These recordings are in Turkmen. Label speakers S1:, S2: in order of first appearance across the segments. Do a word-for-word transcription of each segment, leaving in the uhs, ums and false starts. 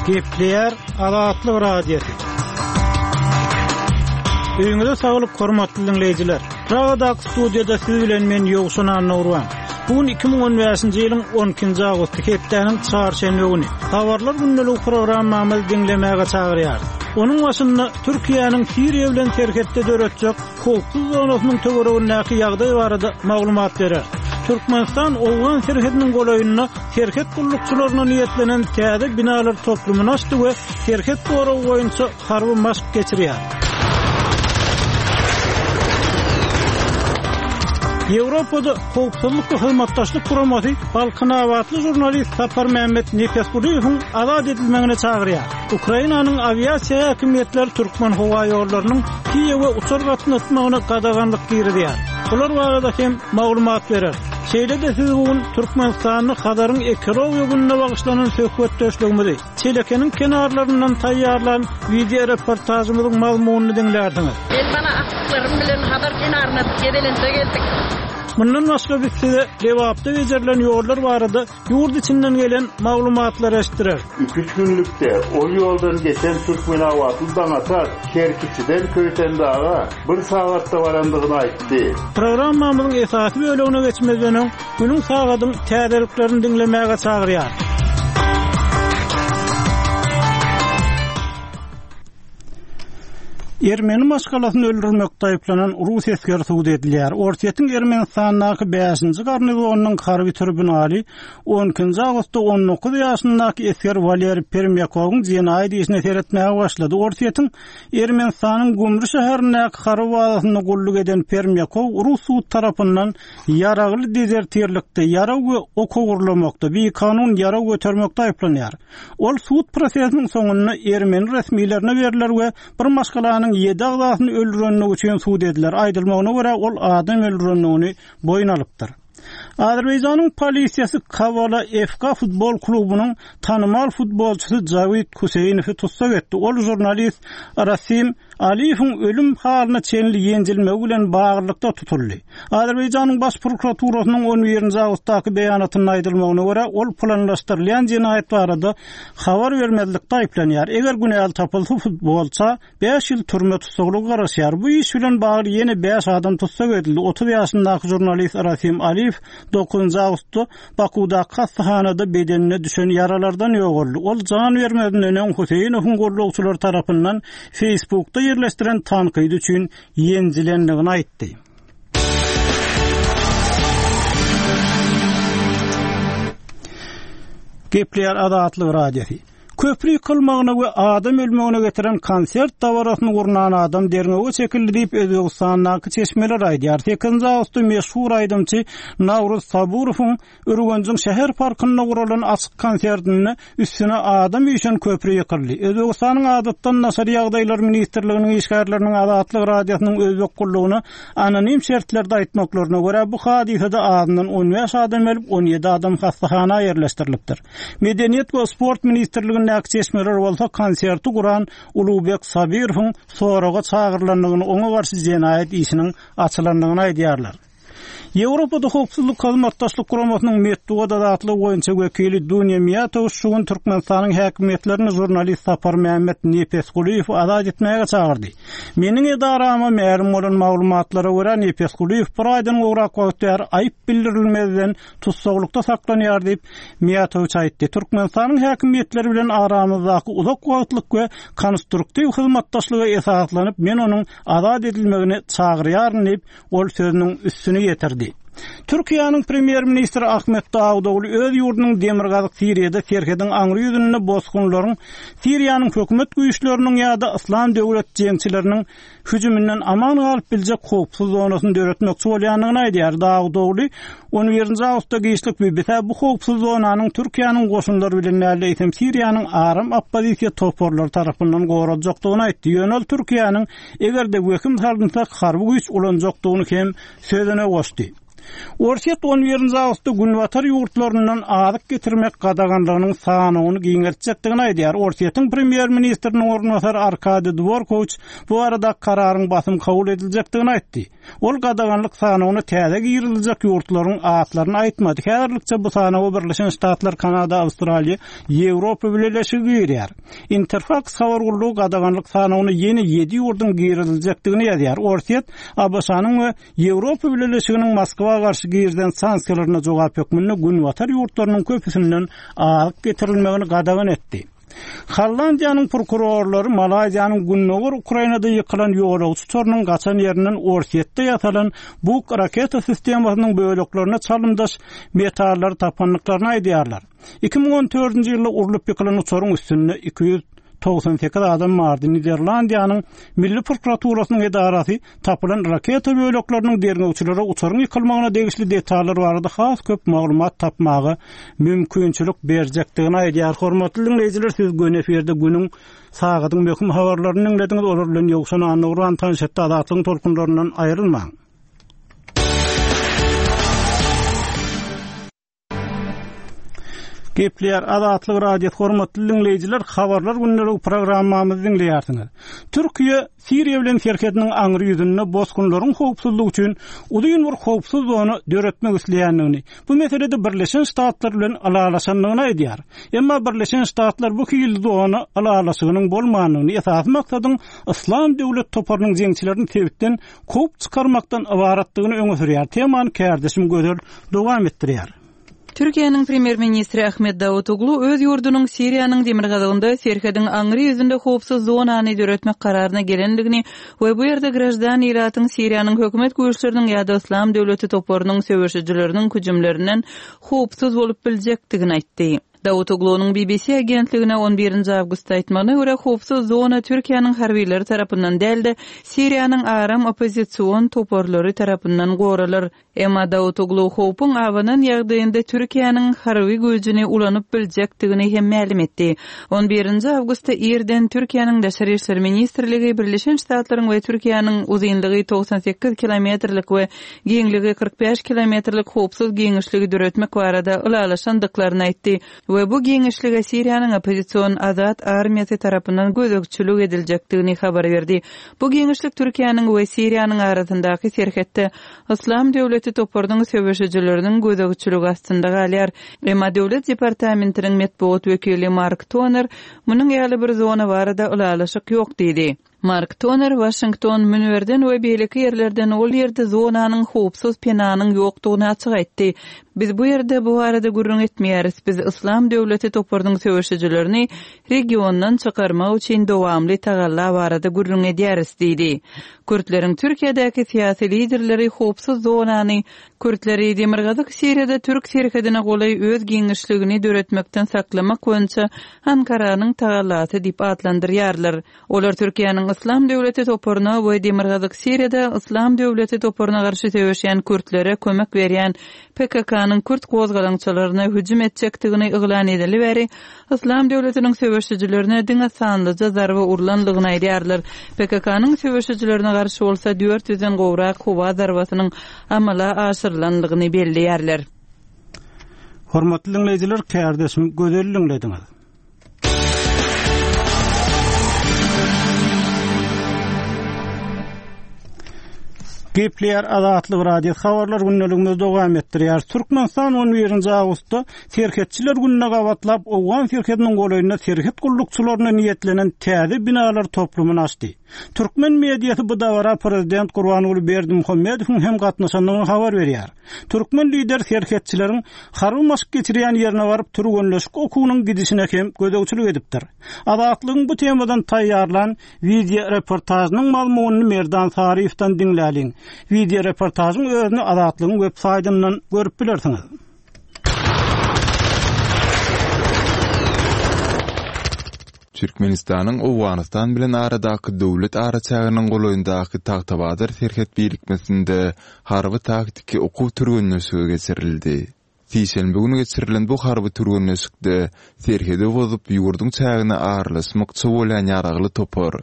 S1: Gepleýär Azatlyk Radiosy. Öýüňize saglyk hormatly dinleýjiler. Pragadaky studiýada siz bilen men Ýowşan Annagurban. Bu gün iki müň on bäşinji ýylyň on ikinji awgusty hepdäniň çarşenbe güni. Habarlar gündeligi programmamyzy diňlemäge çagyrýarys. Onuň başynda Türkiýäniň Siriýa bilen serhetde döretjek howpsuz zonasynyň töweregindäki ýagdaý barada maglumat berer. Türkmenistan Owgan serhediniň golaýynda serhet gullukçylaryna niýetlenen täze binalar toplumyny açdy we serhet goragy boýunça harby maşk geçirýär. Ýewropada howpsuzlyk we hyzmatdaşlyk guramasy Balkanabatly žurnalist Sapar Mehmet Nepesgulyýewiň azat edilmegine çagyrýar. Ukrainanyň awiasiýa häkimiýetleri Türkmen howa ýollarynyň Kiýewe uçar gatnatmagyna gadaganlyk girizýär. Bular barada hem maglumat berer. Şeýle-de siz bu gün Türkmenistanyň Hazaryň ekologiýa gününe bagyşlanan söhbetdeşligimizi Çelekeniň kenarlaryndan taýýarlan video reportajymyzyň mazmunyny diňlärsiňiz.
S2: Men bana aklarym bilen Hazar kenaryna gezelençe geldik.
S1: Mundan başga biz size Lebapda becerilen ýollar barada ýurt içinden gelen maglumatlary eşitdirer.
S3: Üç günlükde ol ýoldan geçen Türkmenabatly Daňatar Kerkiçiden Köýtendaga bir sagatda barandygyny aýtdy.
S1: Programmamyzyň esasy bölegine geçmezden öň günüň sagadyň täzeliklerini diňlemäge çagyrýar. Ermeni maşgalasyny öldürmekde aýyplanan Rus esgeri sud edilýär. Orsýetiň Ermenistandaky bäşinji garnizonynyň harby tribunaly on ikinji awgustda on dokuz ýaşyndaky esger Waleri Permýakowyň jenaýat işine seretmäge başlady. Orsýetiň Ermenistanyň Gumry şäherindäki harby bazasynda gulluk eden Permýakow Rus sud tarapyndan ýaragly dezertirlikde, ýarag we ok ogurlamakda, bikanun ýarag götermekde aýyplanýar. Ol sud prosesiniň soňunda ermeni resmilerine beriler we bir maşgalanyň ýedi agzasyny öldürenligi üçin sud ediler. Aýdylmagyna görä ol adam öldürenligini boýun alypdyr. Azerbaýjanyň polisiýasy Kavala F K futbol klubunyň tanymal futbolçysy Jawid Huseýnowy tussag etdi. Ol žurnalist Rasim Aliýewiň ölüm halyna çenli ýenjilmegi bilen baglylykda tutuldy. Azerbaýjanyň baş prokuraturasynyň on birinji awgustdaky beýanatynda aýdylmagyna görä ol planlaşdyrylýan jenaýat barada habar bermezlikde aýyplanýar. Eger günäli tapylsa futbolça bäş ýyl türme tussaglygy garaşýar. Bu iş bilen bagly ýene bäş adam tussag edildi. Otuz ýaşyndaky žurnalist Rasim Aliýew dokuzynjy awgustda Bakudaky hastahanada bedenine düşen ýaralardan ýogaldy. Ol jan bermezinden öň Huseýnowyň gullukçylary tarapyndan Facebookda ýerleşdiren tankydy üçin ýenjilendigini aýtdy. Gepleýär Azatlyk Radiosy. Köpri ýykylmagyna we adam ölmegine getiren konsert dabarasyny gurnan adam derňewe çekildi diýip Özbegistandaky çeşmeler aýdýar. Sekizinji awgustda meşhur aýdymçy Nawruz Saburowyň Ürgenjiň şäher parkynda guralan açyk konsertinde üstüne adam üýşen köpri ýykyldy. Özbegistanyň Adatdan daşary ýagdaýlar ministrliginiň işgärleriniň Azatlyk Radiosynyň Özbek gullugyna anonim şertlerde aýtmaklaryna görä bu hadysada azyndan on bäş adam ölüp, on ýedi adam hastahana ýerleşdirilipdir. Medeniýet we sport ministrligindäki çeşmeler bolsa konserti guran Ulubek Sabirowyň soraga çagyrylandygyny, oňa garşy jenaýat işiniň açylandygyny aýdýarlar. Ýewropada howpsuzlyk hyzmatdaşlyk guramasynyň metbugat azatlygy boýunça wekili Dunýa Miýatowiç şu gün Türkmenistanyň häkimiýetlerini žurnalist Sapar Mehmet Nepesgulyýewi azat etmäge çagyrdy. Meniň edarama mälim bolan maglumatlara görä Nepesgulyýew bir aýdan gowrak wagt bäri aýyp bildirilmezden tussaglykda saklanýar diýip Miýatowiç aýtdy. Türkmenistanyň häkimiýetleri bilen aramyzdaky uzak wagtlyk we konstruktiw hyzmatdaşlyga esaslanyp men onuň azat edilmegini çagyrýaryn diýip ol sözüniň üstüni ýetirdi. Türkiýäniň premýer-ministri Ahmet Dawutoglu öz ýurdunyň Demirgazyk Siriýada serhediň aňry ýüzünde bosgunlaryň Siriýanyň hökümet güýçleriniň ýa-da Yslam döwlet jeňçileriniň hüjüminden aman galyp biljek howpsuz zonasyny döretmekçi bolýandygyny aýdýar. Dawutoglu on birinji awgustda giçlik B B C bu howpsuz zonanyň Türkiýäniň goşunlary bilen däl, eýsem Siriýanyň aram oppozisiýa toparlary tarapyndan goraljakdygyny aýtdy. Ýöne ol Türkiýäniň eger-de wehim salynsa harby güýç ulanjakdygyny hem sözüne goşdy. Orsýet on birinji awgustda Günbatar ýurtlaryndan azyk getirmek gadaganlygynyň sanawyny giňeltjekdigini aýdýar. Orsýetiň premýer-ministriniň orunbasary Arkadiý Dworkowiç bu barada kararyň basym kabul ediljekdigini aýtdy. Ol gadaganlyk sanawyna täze giriziljek ýurtlaryň atlaryny aýtmady. Häzirlikçe bu sanawa Birleşen Ştatlar, Kanada, Awstraliýa, Ýewropa Bileleşigi girýär. Interfax habar gullugy gadaganlyk sanawyna ýene ýedi ýurduň giriziljekdigini ýazýar. Orsýet, ABŞ-nyň we Ýewropa Bileleşiginiň Moskwa garşy girizen sanksiýalaryna jogap hökmünde Günbatar ýurtlarynyň köpüsinden azyk getirilmegini gadagan etdi. Hollandiýanyň prokurorlary Malaýziýanyň Gündogar Ukrainada ýykylan ýolagçy uçarynyň gaçan ýerinden Orsýetde ýasalan Buk raketa sistemasynyň böleklerine çalymdaş metallary tapandyklaryny aýdýarlar. Iki müň on dördünji ýylda urlup ýykylan uçaryň üstünde iki ýüz togsan sekiz adam bardy. Niderlandiýanyň Milli prokuraturasynyň edarasy tapylan raketa bölekleriniň derňewçilere uçaryň ýykylmagyna degişli detallar barada has köp maglumat tapmaga mümkinçilik berjekdigini aýdýar. Hormatly dinleýjiler, siz gün efirde günüň sagadyň möhüm habarlaryny dinlediňiz. Olar bilen Ýowşan Annagurban tanyş etdi. Azatlygyň tolkunlaryndan aýrylmaň. Gepleýär Azatlyk Radiosy hormatly dinleýjiler, habarlar günleri programmamyzy dinleýärsiňiz. Türkiýe Siriýa bilen serhediniň aňry ýüzünde bosgunlaryň howpsuzlygy üçin uzyn bir howpsuz zona döretmek isleýändigini, bu meselede Birleşen Ştatlar bilen ylalaşandygyny aýdýar. Emma Birleşen Ştatlar bu hili zona ylalaşygynyň bolmandygyny, esasy maksadyň Yslam döwlet toparynyň jeňçilerini sebitden kowup çykarmakdan ybaratdygyny öňe sürýär. Temany kärdeşim Gözel dowam etdirýär.
S4: Türkiýäniň premýer-ministri Ahmet Davutoglu öz ýurdunyň Siriýanyň demirgazygynda serhediň aňry ýüzünde howpsuz zonany döretmek kararyna gelendigini we bu ýerde graždan ilatyň Siriýanyň hökümet güýçleriniň ýa-da Yslam döwleti toparynyň söweşijileriniň hüjümlerinden howpsuz bolup biljekdigini aýtdy. Davutoglu'nyň B B C agentligine on birinji awgustda aýtmagyna görä howpsuz zona Türkiýäniň harbileri tarapyndan däl-de Siriýanyň aram oppozision toparlary tarapyndan goralar. Emma Davutoglu howpuň abanan ýagdaýynda Türkiýäniň harby güýjüni ulanyp biljekdigini hem mälim etdi. on birinji awgustda irden Türkiýäniň Daşary İşler Ministrligi Birleşen Ştatlaryň we Türkiýäniň uzynlygy togsan sekiz kilometrlik we giňligi kyrk bäş kilometrlik howpsuz giňişligi döretmek barada ylalaşandyklaryny aýtdy we bu giňişlige Siriýanyň oppozision Azat armiýasy tarapyndan gözegçilik ediljekdigini habar berdi. Bu giňişlik Türkiýäniň we Siriýanyň arasyndaky serhetde Yslam döwleti toparynyň söweşijileriniň gözegçiligi astynda galýar. Emma Döwlet departamentiniň metbugat wekili Mark Toner munuň ýaly bir zona barada ylalaşyk ýok diýdi. Mark Toner Washington münberden we beýleki ýerlerden ol ýerde zonanyň howpsuz penanyň ýokdugyny açyk aýtdy. Biz bu ýerde bu barada gürrüň etmeýäris. Biz Yslam döwleti toparynyň söweşijilerini regiondan çykarmak üçin dowamly tagalla barada gürrüň edýäris diýdi. Kürtleriň Türkiýedäki syýasy liderleri howpsuz zonany Kürtleri Demirgazyk Siriýada Türk serhedine golaý öz giňişligini döretmekden saklamak boýunça Ankaranyň tagallasy diýip atlandyrýarlar. Olar Türkiýäniň Yslam döwleti toparyna we Demirgazyk Siriýada Yslam döwleti toparyna garşy söweşýän kürtlere kömek berýän P K K-nyň kürt gozgalaňçylaryna hüjüm etjekdigini yglan edeli bäri Yslam döwletiniň söweşijilerine diňe sanlyja zarba urlandygyny aýdýarlar. P K K-nyň söweşijilerine garşy bolsa dört ýüzden gowrak howa zarbasynyň amala aşyrylandygyny belleýärler.
S1: Hormatly dinleýjiler, kärdeşim Gözel dinlediňiz. Gepleýär Azatlyk Radio habarlar gündeligimizi dowam etdirýär. Türkmenistan on birinji awgustda serhetçiler gününe gabatlap Owgan serhediniň golaýynda serhet gullukçylaryna niýetlenen täze binalar toplumyny açdy. Türkmen mediasy bu dabara prezident Gurbanguly Berdimuhamedowyň hem gatnaşandygyny habar berýär. Türkmen lider serhetçileriň harby maşk geçirýän ýerine baryp türgenleşik okuwynyň gidişine hem gözegçilik edipdir. Azatlygyň bu temadan taýýarlan video reportažynyň mazmunyny Merdan Saryýewden diňläliň. Video reportažyň özüni Azatlygyň web saýtyndan görüp bilersiňiz.
S5: Türkmenistanyň Owganystan bilen aradaky döwlet araçäginiň golaýyndaky Tagtabazar serhet birikmesinde harby taktiki okuw türgenleşigi geçirildi. Sişenbe günü geçirilen bu harby türgenleşikde serhedi bozup ýurduň çägine aralaşmakçy bolýan ýaragly topar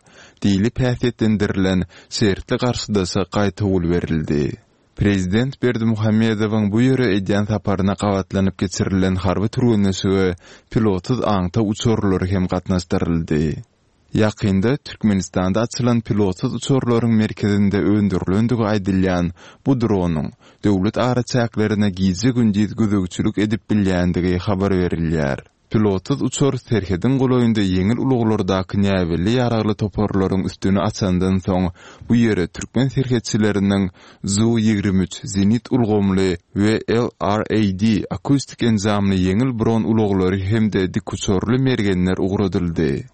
S5: diýlip häsiýetlendirilen şertli garşydaşa gaýtawul berildi. Prezident Berdimuhamedowyň bu ýere edýän saparyna gabatlanyp geçirilen harby türgenleşige pilotsyz aňtaw uçarlary hem gatnaşdyryldy. Ýakynda Türkmenistanda açylan pilotsyz uçarlaryň merkezinde öndürilendigi aýdylýan bu dronyň döwlet araçäklerine gije-gündiz gözegçilik edip bilýändigi habar berilýär. Pilotsyz uçar serhediň golaýynda ýeňil ulaglardaky näbelli ýaragly toparlaryň üstüni açandan soň, bu ýere türkmen serhetçileriniň Zu ýigrimi üç zenit ulgamly we LRAD akustik enjamly ýeňil bron ulaglary hem-de dikuçarly mergenler ugradyldy.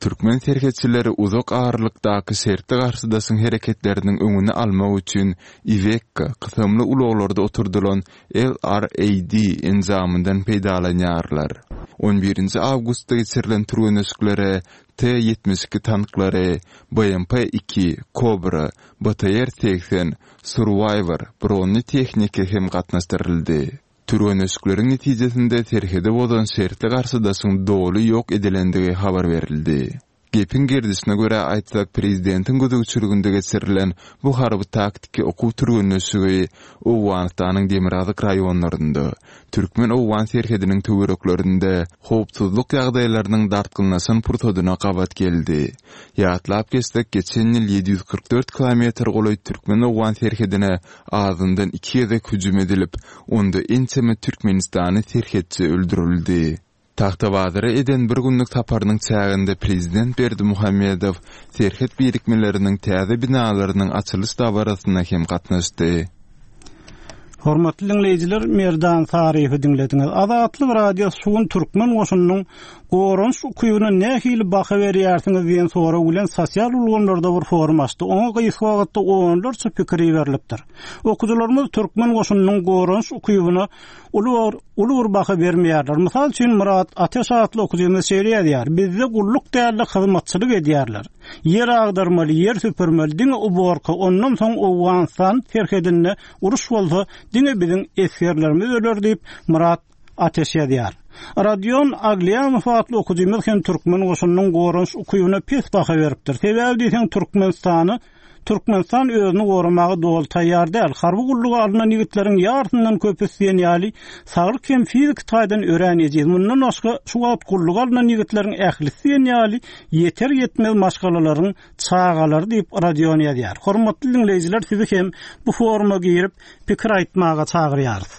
S5: Türkmen serhetçileri uzak aralykdaky şertli garşydaşyň hereketleriniň öňüni almak üçin Iveco kysymly ulaglarda oturdylan LRAD enjamyndan peýdalanýarlar. On birinji awgustda geçirilen türgenleşiklere T ýetmiş iki tanklary, B M P iki, Kobra, B T R segsen, Survivor bronly tehnika hem gatnaşdyryldy. Türgenleşikleriň netijesinde serhedi bozan şertli garşydaşyň doly ýok edilendigi habar berildi. Gepiň gerdişine görä aýtsak, prezidentiň gözegçiliginde geçirilen bu harby taktiki okuw türgenleşigi Owganystanyň demirgazyk raýonlarynda, Türkmen-Owgan serhediniň töwereklerinde howpsuzlyk ýagdaýlarynyň dartgynlaşan pursadyna gabat geldi. Ýatlap geçsek, geçen ýyl ýedi ýüz kyrk dört kilometr golaý Türkmen-Owgan serhedine azyndan iki gezek hüjüm edilip, onda ençeme Türkmenistany serhetçi öldürildi. Tagtabazara eden bir günlük saparynyň çäginde prezident Berdimuhamedow serhet birikmeleriniň täze binalarynyň açylyş dabarasyna hem gatnaşdy.
S1: Hormatly diňleýjiler, Merdan Saryýewi diňlediňiz. Azatlyk Radiosy şu gün türkmen goşunynyň goranyş ukybyna nähili baha berýärsiňiz diýen sorag bilen sosial ulgamlarda bir forum açdy. Oňa gysga wagtda onlarça pikir iberilipdir. Okyjylarymyz türkmen goşunynyň goranyş ukybyna uly bir, uly bir baha bermeýärler. Mysal üçin Murat Ateş atly okyjymyz şeýle ýazýar: Bizde gulluk dälde hyzmatçylyk edýärler. Ýer agdarmaly, ýer süpürmeli, diňe uborka, ondan soň Owganystan serhedinde uruş bolsa diňe biziň esgerlerimiz öler diýip Murat Ateş ýazýar. Radion Aglianow atly okyjymyz hem türkmen goşunynyň goranyş ukybyna pes baha beripdir. Sebäbi diýseň Türkmenistany Türkmenistan özüni goramaga doly taýýar däl. Harby gulluga alynan ýigitleriň ýarysyndan köpüsi diýen ýaly saglyk hem fiziki taýdan örän ejiz. Mundan başga şu wagt gulluga alynan ýigitleriň ählisi diýen ýaly ýeter ýetmez maşgalalaryň çagalary diýip Radion ýazýar. Hormatly diňleýjiler, sizi hem bu foruma girip pikir aýtmaga çagyrýarys.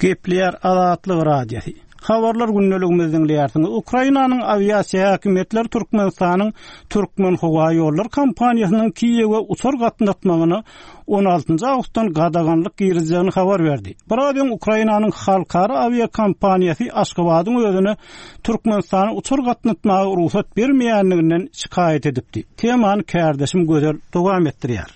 S1: Gepleýär Azatlyk Radiosy. Habarlar gündeligimizi diňleýärsiňiz. Ukrainanyň awiasiýa häkimiýetleri Türkmenistanyň Türkmen howa ýollary kompaniýasynyň Kiýewe uçar gatnatmagyna on altynjy awgustdan gadaganlyk girizjegini habar berdi. Biraz öň Ukrainanyň halkara awiakompaniýasy Aşgabadyň özüne Türkmenistana uçar gatnatmaga rugsat bermeýänliginden şikaýat edipdi. Temany kärdeşim Gözel dowam etdirýär.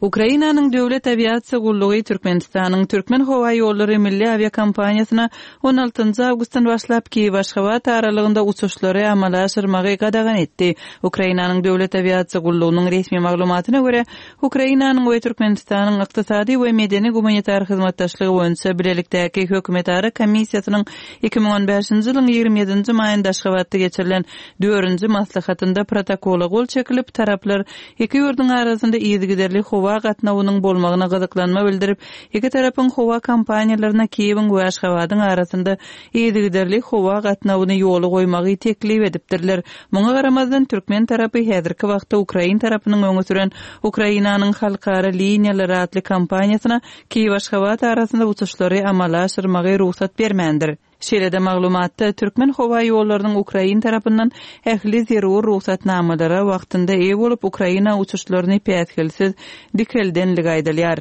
S4: Ukrainanyň döwlet awiasiýa gullugy Türkmenistanyň Türkmen howa ýollary milli awiakompaniýasyna on altynjy awgustdan başlap Kiýew Aşgabat aralygynda uçuşlary amala aşyrmagy gadagan etdi. Ukrainanyň döwlet awiasiýa gullugynyň resmi maglumatyna görä, Ukrainanyň we Türkmenistanyň ykdysady we medeni gumanitar hyzmatdaşlygy boýunça bilelikdäki hökümetara komissiýasynyň iki müň on bäşinji ýylyň ýigrimi ýedinji maýynda Aşgabatda geçirilen dördünji maslahatynda protokola gol çekilip, taraplar iki ýurduň arasynda yzygiderli howa gatnawynyň bolmagyna gyzyklanma bildirip, iki tarapyň howa kompaniýalaryna Kiýewiň we Aşgabadyň arasynda yzygiderli howa gatnawyny ýola goýmagy teklip edipdirler. Muňa garamazdan türkmen tarapy häzirki wagtda Ukrain tarapynyň öňe süren Ukrainanyň halkara liniýalary atly kompaniýasyna Kiýew Aşgabat arasynda uçuşlary amala aşyrmagy rugsat bermändir. Şeýle-de maglumatda Türkmen howa ýollarynyň Ukrain tarapyndan ähli zerur rugsatnamalara wagtynda eýe bolup Ukraina uçuşlaryny päsgelsiz dikeldenligi aýdylýar.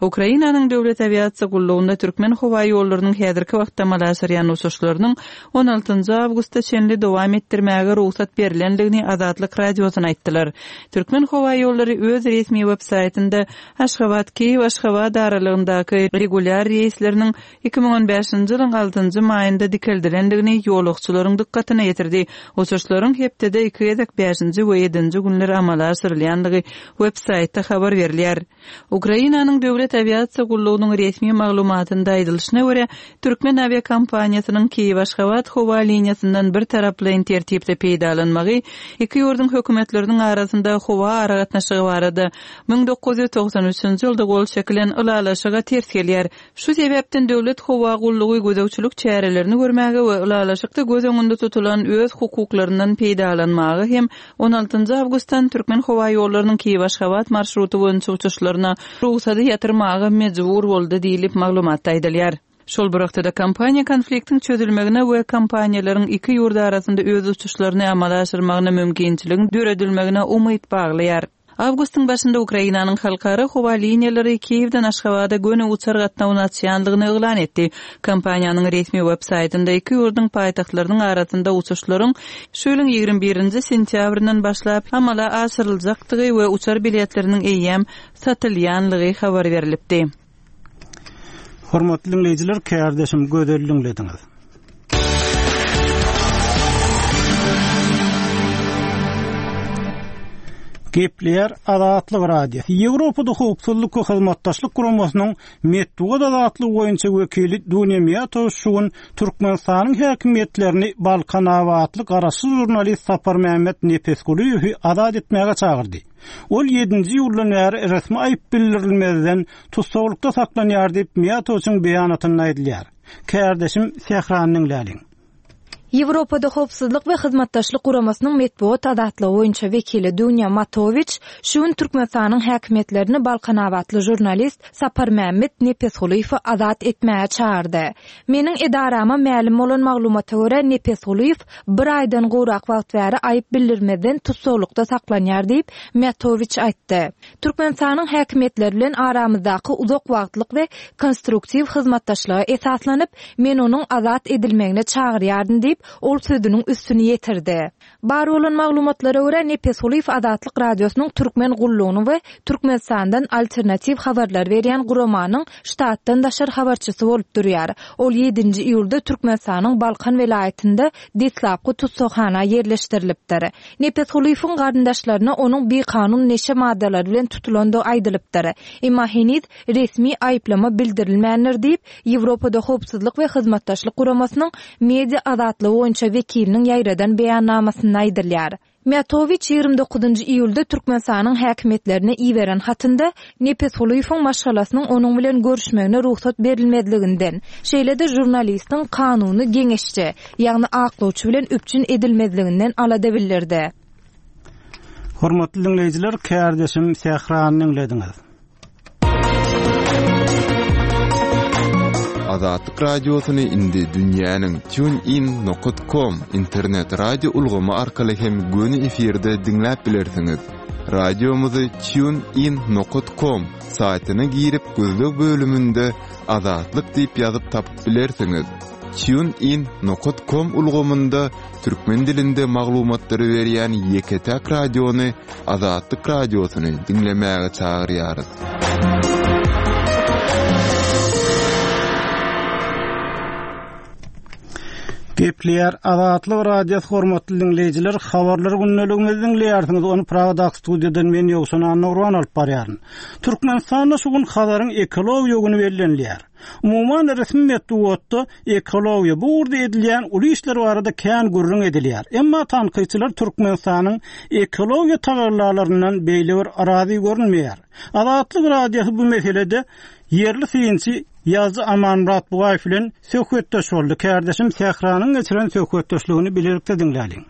S4: Ukrainanyň döwlet awiasiýa gullugynda Türkmen howa ýollarynyň häzirki wagtda amala aşyrýan uçuşlarynyň on altynjy awgustda çenli dowam etdirmäge rugsat berilendigini Azatlyk Radiosyna aýtdylar. Türkmen howa ýollary öz resmi web-saýtynda Aşgabat Kiýew Aşgabat aralygyndaky regulýar reýsleriniň iki müň on bäşinji ýylyň altynjy maýynda dikeldilendigini ýolagçylaryň dykgatyna ýetirdi. Uçuşlaryň hepdede iki gezek bäşinji we ýedinji günler amala aşyrylýandygy web-saýtda habar berilýär. Ukrainanyň döwlet awiasiýa gullugynyň resmi maglumatynda aýdylyşyna görä, Türkmen awiakompaniýasynyň Kiýew-Aşgabat howa liniýasyndan bir taraplaýyn tertipde peýdalanmagy iki ýurduň hökümetleriniň arasynda howa aragatnaşygy barada müň dokuz ýüz togsan üçünji ýylda gol çekilen ylalaşyga ters gelýär. Şu sebäpden döwlet howa gullugy gözegçilik çärelerini görmäge we ylalaşykda göz öňünde tutulan öz hukuklaryndan peýdalanmaga hem on altynjy awgustdan Türkmen howa ýollarynyň Kiýew-Aşgabat marşruty boýunça uçuşlaryna rugsady ýatyrmaga mejbur boldy diýlip maglumatda aýdylýar. Şol bir wagtda kompaniýa konfliktiň çözülmegine we kompaniýalaryň iki ýurt arasynda öz uçuşlaryny amala aşyrmagyna mümkinçiligiň döredilmegine umyt baglaýar. Awgustyň başynda Ukrainanyň halkara howa liniýalary Kiýewden Aşgabada göni uçar gatnawyny açýandygyny yglan etdi. Kompaniýanyň resmi web saýtynda iki ýurduň paýtagtlarynyň arasynda uçuşlaryň şu ýylyň ýigrimi birinji sentýabryndan başlap amala aşyryljakdygy we uçar biletleriniň eýýäm satylýanlygy habar berilipdi.
S1: Hormatly dinleýjiler, kärdeşim Gözel dinlediňiz. Gepleýär Azatlyk Radiosy. Ýewropada howpsuzlyk we hyzmatdaşlyk guramasynyň metbugat azatlygy boýunça wekili Dunýa Miýatow şu gün Türkmenistanyň häkimiýetlerini Balkanabatly garaşsyz žurnalist Saparmämmet Nepesgulyýewi azat etmäge çagyrdy. Ol ýedinji ýyldan bäri resmi aýyp bildirilmezden tussaglykda saklanýar diýip Miýatowyň beýanatynda aýdylýar. Kärdeşim Sähranyň Läliň.
S6: Ýewropada howpsuzlyk we hyzmatdaşlyk guramasynyň metbugat azatlygy boýunça wekili Dunýa Matowiç şu gün Türkmenistanyň häkimiýetlerini Balkanabatly žurnalist Saparmämmet Nepesgulyýewi azat etmäge çagyrdy. Meniň edarama mälim bolan maglumata görä Nepesgulyýew bir aýdan gowrak wagt bäri aýyp bildirmezden tussaglykda saklanýar diýip Matowiç aýtdy. Türkmenistanyň häkimiýetleri bilen aramyzdaky uzak wagtlyk we konstruktiw hyzmatdaşlyga esaslanyp, men onuň azat edilmegine çagyrýardym diýip, ol sözüniň üstüni ýetirdi. Bar bolan maglumatlara görä Nepesgulyýew Azatlyk Radiosynyň Türkmen gullugyny we Türkmenistandan alternatiw habarlar berýän guramanyň ştatdan daşary habarçysy bolup durýar. Ol ýedinji iýulda Türkmenistanyň Balkan welaýatynda deslapky tussaghana ýerleşdirilipdir. Nepesgulyýewiň garyndaşlaryna onuň bikanun neşe maddalary bilen tutulandygy aýdylypdyr. Emma heniz resmi aýyplama bildirilmändir diýip, Ýewropada howpsuzlyk we hyzmatdaşlyk guramasynyň media azatlygy boýunça wekiliniň ýaýradan beýannamasynda aýdylýar. Miýatowiç ýigrimi dokuzynjy iýulda Türkmenistanyň häkimiýetlerine iberen hatynda Nepesgulyýewiň maşgalasynyň onuň bilen görüşmegine rugsat berilmezliginden, şeýle-de žurnalistiň kanuny geňeşçi, ýagny aklawçy bilen üpjün edilmezliginden alada bildirdi.
S1: Hormatly dinleýjiler, kärdeşim Sährany dinlediňiz.
S5: Azatlyk Radiosyny indi dünýäniň tunein nokta com internet radio ulgamy arkaly hem göni efirde diňläp bilersiňiz. Radiomyzy tunein nokta com saýtyna girip gözleg bölüminde Azatlyk diýip ýazyp tapyp bilersiňiz. Tunein nokta com ulgamynda türkmen dilinde maglumatlary berýän ýeke-täk radiony Azatlyk Radiosyny diňlemäge çagyrýarys.
S1: Gepleýär Azatlyk Radiosy hormatly dinleýjiler, habarlar gündeligimizi dinleýärsiňiz. Ony Pragadaky studiýadan men Ýowşan Annagurban alyp barýaryn. Türkmenistanda şu gün Hazaryň ekologiýa güni bellenilýär. Umuman resmi metbugatda ekologiýa bu ugurda edilýän uly işler barada kän gürrüň edilýär. Emma tankytçylar Türkmenistanyň ekologiýa tagallalaryndan beýle bir razy görünmeýär. Azatlyk Radiosy bu meselede ýerli synçy Ýazdy Amanmyrat Bugaýew bilen söhbetdeş boldy. Kärdeşim Sähranyň geçiren söhbetdeşligini bilelikde diňläliň.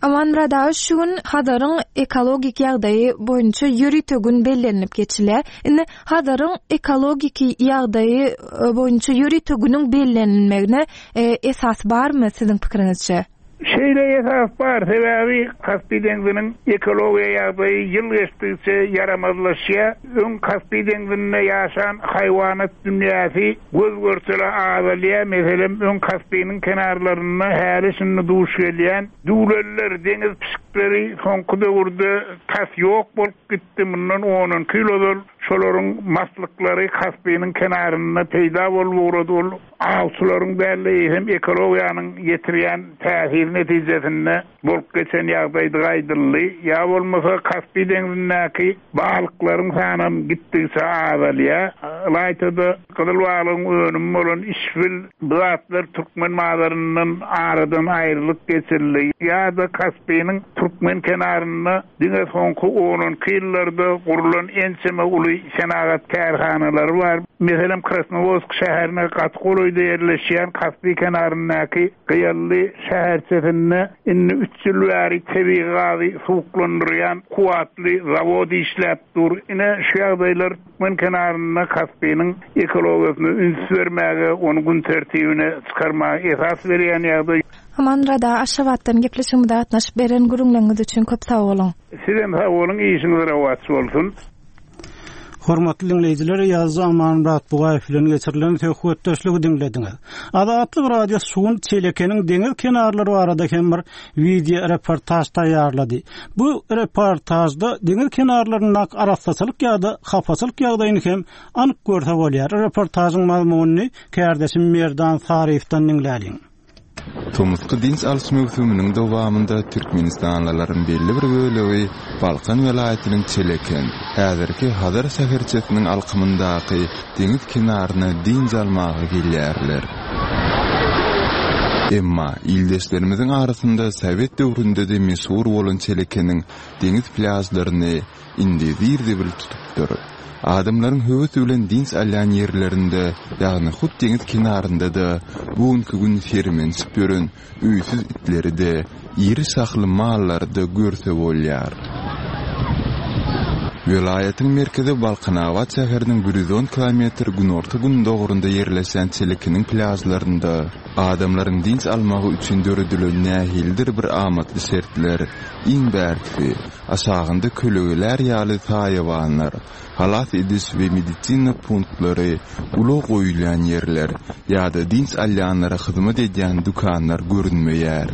S6: Amanmyrat aga, şu gün Hazaryň ekologik ýagdaýy boýunça ýörite gün bellenilip geçilýär. Indi Hazaryň ekologik ýagdaýy, e, boýunça ýörite günüň bellenilmegine, e, esas barmy siziň pikiriňizçe?
S3: Şeýle esas bar, sebäbi Kaspi deňziniň ekologiýa ýagdaýy ýyl geçdikçe ýaramazlaşýar. Öň Kaspi deňzinde ýaşan haýwanat dünýäsi göz görtele azalýar. Meselem, öň Kaspiniň kenarlarynda häli şindi duş gelýän düwleller, deňiz pişikleri soňky döwürde tas ýok bolup gitdi. Mundan on on iki ýyl ozal Şolaryň maslyklary Kaspiniň kenarynda peýda bolup ugrady. Ol awçylaryň däl-de eýsem ekologiýanyň ýetirýän täsiri netijesinde bolup geçen ýagdaýdygy aýdyldy. Ýa bolmasa Kaspi deňzindäki balyklaryň sanam gitdigiçe azalýar. Ylaýta-da gyzyl balygyň önümi bolan işbil bu zatlar türkmen bazaryndan aradan aýrylyp geçirildi. Ýa-da Kaspiniň türkmen kenarynda diňe soňky on iki ýyllarda gurulan ençeme uly senagat kärhanalary bar. Meselem, Krasnowodsk şäherine gaty golaýda ýerleşýän Kaspi kenaryndaky Gyýally şäherçesinde indi üç ýyl bäri tebigy gazy suwuklandyrýan kuwwatly zawod işläp dur. Ine şu ýagdaýlar türkmen kenarynda Kaspiniň ekologiýasyna üns bermäge, ony gün tertibine çykarmaga esas berýän ýagdaý.
S6: Amanmyrat aga, Aşgabatdan gepleşigimize gatnaşyp beren gürrüňleriňiz üçin köp sag boluň.
S3: Sizem sag boluň, işiňiz rowaç bolsun.
S1: Hormatly dinleýjiler, ýazyjy Amanmyrat Bugaýew bilen geçirilen söhbetdeşligi diňlediňiz. Azatlyk Radiosy şu gün Çelekeniň deňiz kenarlary barada hem bir wideo reportaž taýýarlady. Bu reportažda deňiz kenarlaryndaky arassaçylyk ýa-da hapaçylyk ýagdaýyny hem anyk görse bolýar. Reportažyň mazmunyny kärdeşim Merdan Saryýewden diňläliň.
S5: Tomusky dynç alyş möwsüminiň dowamynda Türkmenistanlylaryň belli bir bölegi Balkan welaýatynyň Çeleken, häzirki Hazar şäherçesiniň alkymyndaky deňiz kenaryna dynç almaga gelýärler. Emma ildeşlerimiziň arasynda Sowet döwründe-de meşhur bolan Çelekeniň deňiz plýažlaryny indi zir-zibil tutupdyr. Adamlaryň höwes bilen dynç alýan ýerlerinde, ýagny hut deňiz kenarynda-da bu günki gün sermenişip ýören öýsüz itleri-de, iri şahly mallary-da görse bolýar. Welaýatyň merkezi Balkanabat şäheriniň bir ýüz on kilometr günorta gündogurynda ýerleşen Çelekeniň plýažlarynda adamlaryň dynç almagy üçin döredilen nähilidir bir amatly şertler, iň bärkisi, aşagynda kölegeler ýaly saýawanlar, halas ediş we medisina punktlary, ulag goýulýan ýerler ýa-da dynç alýanlara hyzmat edýän dükanlar görünmeýär.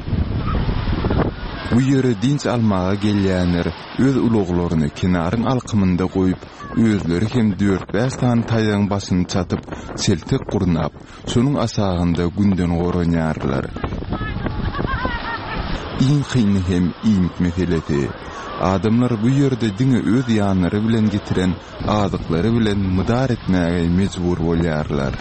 S5: Bu ýere dynç almaga gelýänler öz ulaglaryny kenaryň alkymynda goýup, özleri hem dört-bäş sany taýagyň başyny çatyp, çeltek gurnap, şonuň aşagynda günden goranýarlar. Iň kyny hem iýmit meselesi. Adamlar bu ýerde diňe öz ýanlary bilen getiren azyklary bilen mydar etmäge mejbur bolýarlar.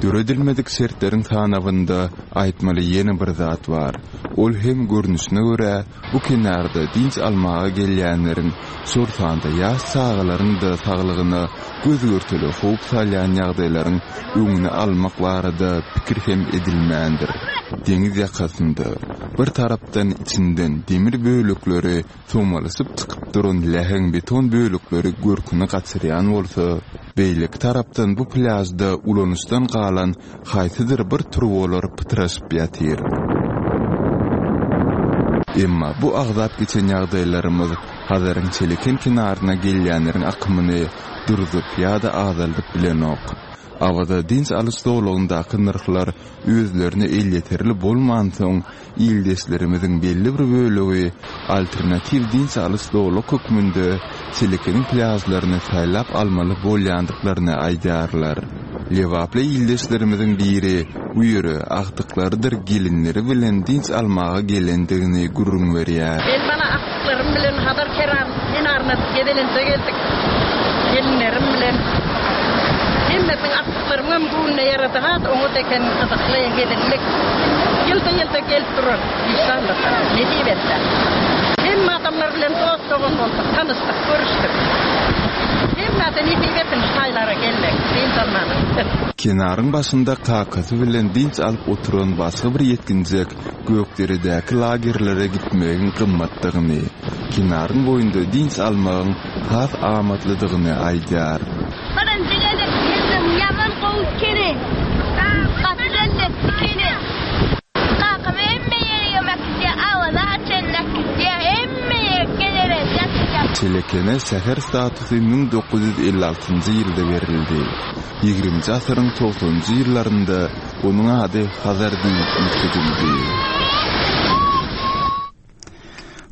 S5: Döredilmedik şertleriň sanawynda aýtmaly ýene bir zat bar. Ol hem görnüşine görä bu kenarda dynç almaga gelýänleriň, şol sanda ýaş çagalaryň da saglygyna göz görteli howp salýan ýagdaýlaryň öňüni almak barada pikir hem edilmändir. Deňiz ýakasynda bir tarapdan içinden demir bölekleri somalyşyp çykyp duran läheň beton bölekleri görküni gaçyrýan bolsa, beýleki tarapdan bu plýažda ulanyşdan galan haýsydyr bir turbalar pytraşyp ýatyr. Emma bu agzap geçen ýagdaýlarymyz Hazaryň Çeleken kenaryna gelýänleriň akymyny durzup ýa-da azaldyp bilenok. Awaza dynç alyş zolagyndaky nyrhlar özlerine elýeterli bolmansoň, ildeşlerimiziň belli bir bölegi alternatiw dynç alyş zolak hökmünde Çelekeniň plýažlaryny saýlap almaly bolýandyklaryny aýdýarlar. Lebaply ildeşlerimiziň biri bu ýere agtyklarydyr gelinleri bilen dynç almaga gelendigini gürrüň berýär.
S2: Men bana agtyklarym bilen Hazar kenaryna gezelenje geldik. Gelinlerim bilen. Hemmesiniň agtyklarymyň hem göwnüne ýarady. Has oňat eken gyzykly gelinlik. Ýylda-ýylda gelip durar. Inşallah. Nesip etse. Hemme adamlar bilen dost dogan bolduk, tanyşdyk, görüşdük. Hemmesi nesip etsin şu taýlara gelmek, dynç almany.
S5: Kenaryň başynda kakasy bilen dynç alyp oturan başga bir ýetginjek Gökderedäki lagerlere gitmegiň gymmatdygyny, kenaryň boýunda dynç almagyň has amatlydygyny aýdýar.
S7: Birinji gezek geldim, ýaman gowy kene. Gaty lezzetli kene. Kakam hemme ýere ýemek gidýär, awaza çenli gidýär, hemme ýere gezelenç ýatýar.
S5: Çelekene şäher statusy müň dokuz ýüz elli altynjy ýylda berildi. Ýigriminji asyryň togsanynjy ýyllarynda onuň ady Hazar diýlip üýtgedildi.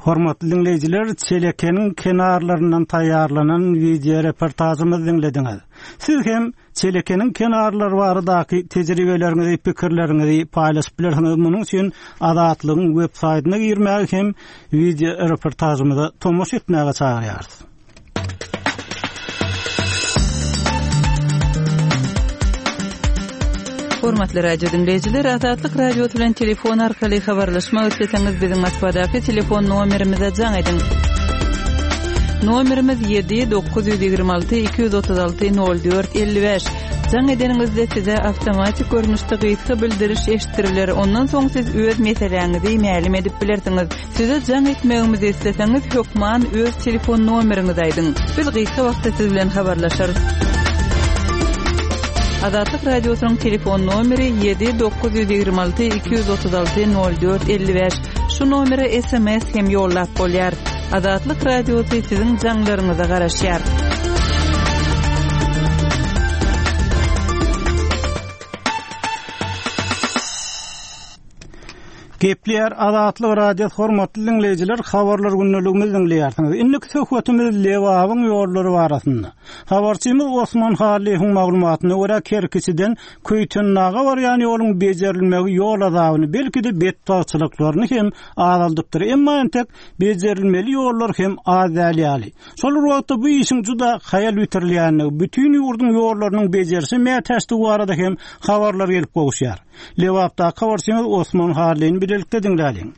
S1: Hormatly dinleýjiler, Çelekeniň kenarlaryndan taýýarlanan wideo reportajymyzy diňlediňiz. Siz hem Çelekeniň kenarlary baradaky tejribeleriňizi, pikirleriňizi paýlaşyp bilersiňiz. Munuň üçin Azatlygyň web saýtyna girmäge hem wideo reportajymyza tomaşa etmäge çagyrýarys.
S4: Hormatly radio dinleýjiler, Azatlyk Radiosy bilen telefon arkaly habarlaşmak isleseňiz biziň Moskwadaky telefon nomerimize jaň ediň. Nomerimiz ýedi dokuz ýüz ýigrimi alty iki ýüz otuz alty nol dört elli bäş. Jaň edeniňizde size awtomatik görnüşde gysga bildiriş eşitdiriler. Ondan soň siz öz meseläňizi mälim edip bilersiňiz. Size jaň etmegimizi isleseňiz hökman öz telefon nomeriňizi aýdyň. Biz gysga wagtda siz bilen habarlaşarys. Azatlyk Radiosynyň telefon nomeri ýedi dokuz ýüz ýigrimi alty iki ýüz otuz alty nol dört elli bäş. Şu nomere S M S hem ýollap bolýar. Azatlyk Radiosy siziň jaňlaryňyza garaşýar.
S1: Gepleýär Azatlyk Radiosy hormatly dinleýjiler, habarlar gündeligimizi dinleýärsiňiz. Indiki söhbetimiz Lebabyň ýollary barasynda. Habarçymyz Osman Hallyýewiň maglumatyna görä Kerkiçiden Köýtendaga barýan ýoluň bejerilmegi ýol azabyny, belki-de betbagtçylyklaryny hem azaldypdyr. Emma entek bejerilmeli ýollar hem az däl ýaly. Şol bir wagtda bu işiň juda haýal bitirilýänligi, bütün ýurduň ýollarynyň bejerişi mätäçdigi barada hem habarlar gelip gowuşýar. Lebapdaky habarçymyz Osman Hallyny bilelikde diňläliň.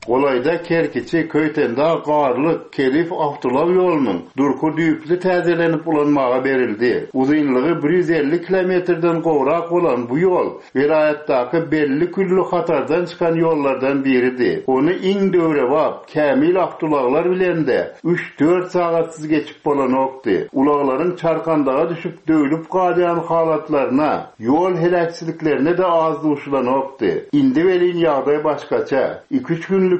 S8: Golaýda Kerkiçi Köýtendag Garlyk Kelif awtolag ýolunyň durky düýpli täzelenip ulanmaga berildi. Uzynlygy bir ýüz elli kilometrden gowrak bolan bu ýol welaýatdaky belli külli hatardan çykan ýollardan biridi. Ony iň döwrebap kämil awtolaglar bilen de üç dört sagatsyz geçip bolanokdy. Ulaglaryň çarkandaga düşüp döwlüp galýan halatlaryna, ýol heläkçiliklerine de az duşulanokdy. Indi welin ýagdaý başgaça. Iki üç günlük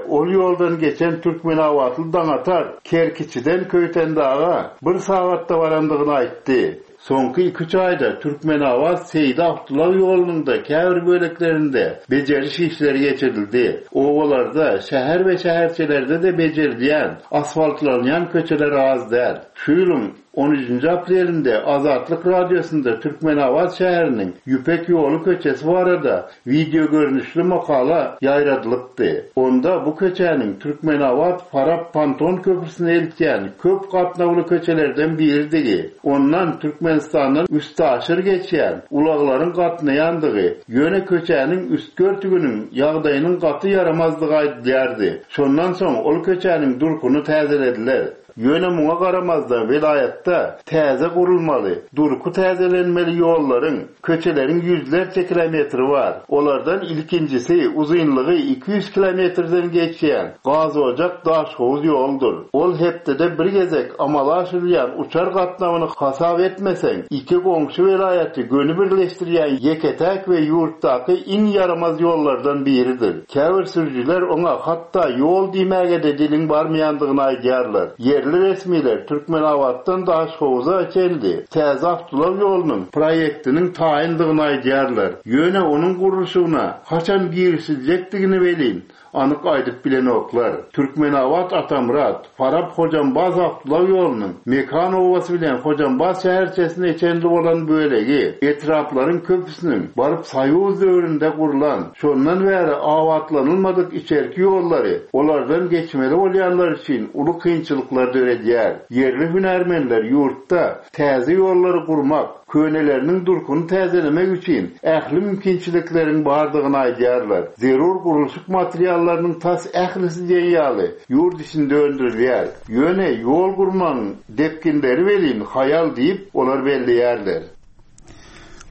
S8: ol ýoldan geçen Türkmenabatly Daňatar Kerkiçiden Köýtendaga bir sagatda barandygyny aýtdy. Soňky iki üç aýda Türkmenabat Seýdi awtolag ýolunyň da käbir böleklerinde beceriş işleri geçirildi. Obalarda, şäher we şäherçelerde de becerilýän, asfaltlanýan köçeler az däl. Şu ýylyň on üçünji aprelinde Azatlyk Radiosynda Türkmenabat şäheriniň Ýüpek ýoly köçesi barada video görnüşli makala ýaýradylypdy. Onda bu köçäniň Türkmenabat Farap Panton köprüsine eltýän köp gatnawly köçelerden biridigi, ondan Türkmenistandan üstaşyr geçýän ulaglaryň gatnaýandygy, ýöne köçäniň üst örtüginiň ýagdaýynyň gaty ýaramazdygy aýdylýardy. Şondan soň ol köçäniň durkuny täzelediler. Ýöne muňa garamazdan welaýatda täze gurulmaly, durky täzelenmeli ýollaryň, köçeleriň ýüzlerçe kilometri bar. Olardan ilkinjisi uzynlygy iki ýüz kilometrden geçýän Gazojak Daşhowuz ýoldur. Ol hepdede bir gezek amala aşyrylýan uçar gatnawyny hasap etmeseň, iki goňşy welaýaty göni birleşdirýän ýeke-täk we ýurtdaky iň ýaramaz ýollardan biridir. Käbir sürüjiler oňa hatda ýol diýmäge-de diliň barmaýandygyny aýdýarlar. Ýerli resmiler Türkmenabatdan Daşhowuza çenli täze awtolag ýolunyň proýektiniň taýyndygyny aýdýarlar. Ýöne onuň gurluşygyna haçan girişiljekdigini welin anyk aýdyp bilenoklar. Türkmenabat Atamrat, Farap Hojambaz awtolag ýolunyň Mekan obasy bilen Hojambaz şäherçesine çenli bolan bölegi etraplaryň köpüsiniň baryp Soýuz döwründe gurlan, şondan bäri abatlanylmadyk içerki ýollary olardan geçmeli bolýanlar üçin uly kynçylyklar döredýär. Ýerli hünärmenler ýurtda täze ýollary gurmak, köneleriniň durkuny täzelemek üçin ähli mümkinçilikleriň bardygyny aýdýarlar. Zerur gurluşyk materiallarynyň tas ählisi diýen ýaly ýurt içinde öndürilýär. Ýöne ýol gurmagyň depginleri welin haýal diýip olar belleýärler.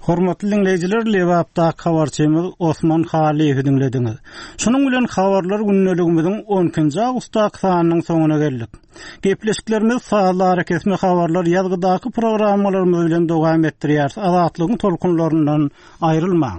S1: Hormatly dinleýjiler, Lebapdaky habarçymyz Osman Hallyýewi diňlediňiz. Şunuň bilen habarlar gündeligimiziň on ikinji awgustdaky sanynyň soňuna geldik. Gepleşiklerimiz sazly arakesme habarlar ýazgydaky programmalarymyz bilen dowam etdirýäris. Azatlygyň tolkunlaryndan aýrylmaň.